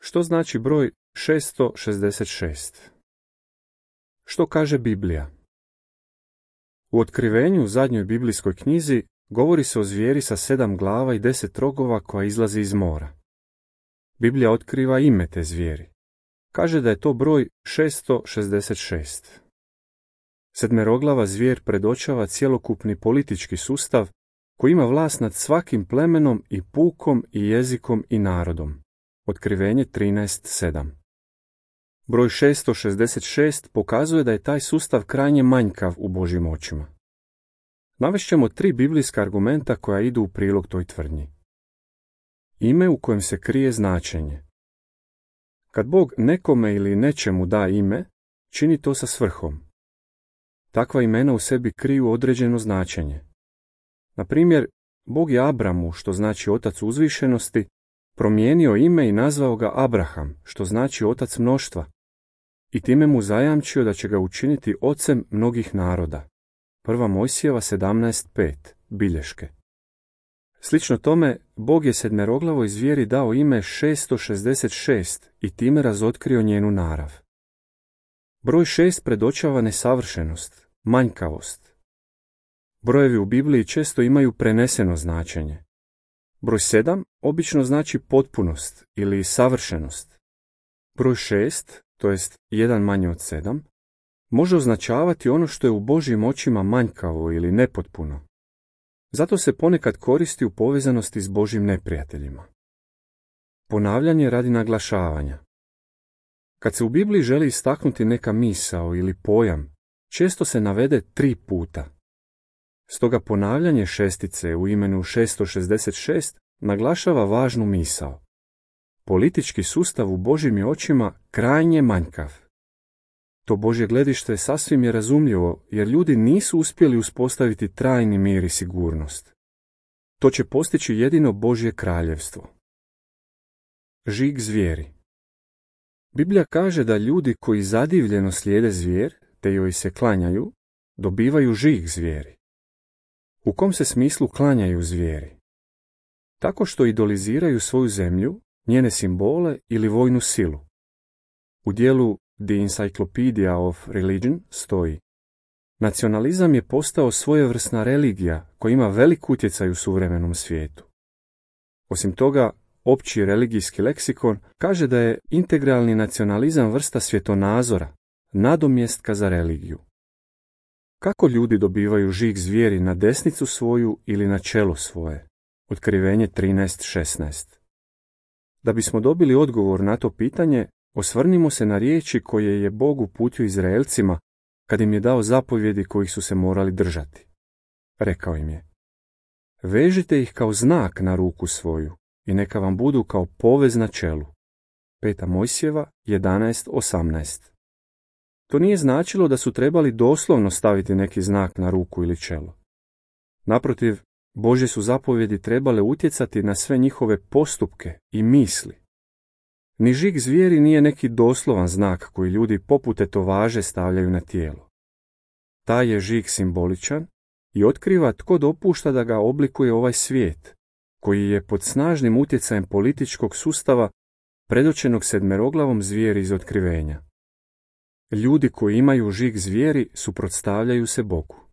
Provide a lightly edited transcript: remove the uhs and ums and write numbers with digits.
Što znači broj 666? Što kaže Biblija? U Otkrivenju, u zadnjoj biblijskoj knjizi, govori se o zvijeri sa 7 glava i 10 rogova koja izlazi iz mora. Biblija otkriva ime te zvijeri. Kaže da je to broj 666. Sedmeroglava zvijer predočava cjelokupni politički sustav koji ima vlast nad svakim plemenom i pukom i jezikom i narodom. Otkrivenje 13.7. Broj 666 pokazuje da je taj sustav krajnje manjkav u Božjim očima. Navešćemo 3 biblijska argumenta koja idu u prilog toj tvrdnji. Ime u kojem se krije značenje. Kad Bog nekome ili nečemu da ime, čini to sa svrhom. Takva imena u sebi kriju određeno značenje. Na primjer, Bog je Abramu, što znači otac uzvišenosti, promijenio ime i nazvao ga Abraham, što znači otac mnoštva, i time mu zajamčio da će ga učiniti ocem mnogih naroda. 1. Mojsijeva 17.5. Bilješke. Slično tome, Bog je sedmeroglavoj zvijeri dao ime 666 i time razotkrio njenu narav. Broj 6 predočava nesavršenost, manjkavost. Brojevi u Bibliji često imaju preneseno značenje. Broj 7 obično znači potpunost ili savršenost. Broj 6, to jest 1 manje od 7, može označavati ono što je u Božjim očima manjkavo ili nepotpuno. Zato se ponekad koristi u povezanosti s Božjim neprijateljima. Ponavljanje radi naglašavanja. Kad se u Bibliji želi istaknuti neka misao ili pojam, često se navede 3 puta. Stoga ponavljanje šestice u imenu 666 naglašava važnu misao. Politički sustav u Božjim je očima krajnje manjkav. To Božje gledište sasvim je razumljivo, jer ljudi nisu uspjeli uspostaviti trajni mir i sigurnost. To će postići jedino Božje kraljevstvo. Žig zvijeri. Biblija kaže da ljudi koji zadivljeno slijede zvijer, te joj se klanjaju, dobivaju žig zvijeri. U kom se smislu klanjaju zvijeri? Tako što idoliziraju svoju zemlju, njene simbole ili vojnu silu. U dijelu The Encyclopedia of Religion stoji: nacionalizam je postao svojevrsna religija koja ima velik utjecaj u suvremenom svijetu. Osim toga, opći religijski leksikon kaže da je integralni nacionalizam vrsta svjetonazora, nadomjestka za religiju. Kako ljudi dobivaju žig zvijeri na desnicu svoju ili na čelo svoje? Otkrivenje 13.16. Da bismo dobili odgovor na to pitanje, osvrnimo se na riječi koje je Bog uputio Izraelcima kad im je dao zapovjedi kojih su se morali držati. Rekao im je: vežite ih kao znak na ruku svoju i neka vam budu kao povez na čelu. 5. Mojsijeva 11.18. To nije značilo da su trebali doslovno staviti neki znak na ruku ili čelo. Naprotiv, Božje su zapovjedi trebale utjecati na sve njihove postupke i misli. Ni žig zvijeri nije neki doslovan znak koji ljudi poput etovaže stavljaju na tijelo. Taj je žig simboličan i otkriva tko dopušta da ga oblikuje ovaj svijet, koji je pod snažnim utjecajem političkog sustava predočenog sedmeroglavom zvijeri iz Otkrivenja. Ljudi koji imaju žig zvijeri suprotstavljaju se Bogu.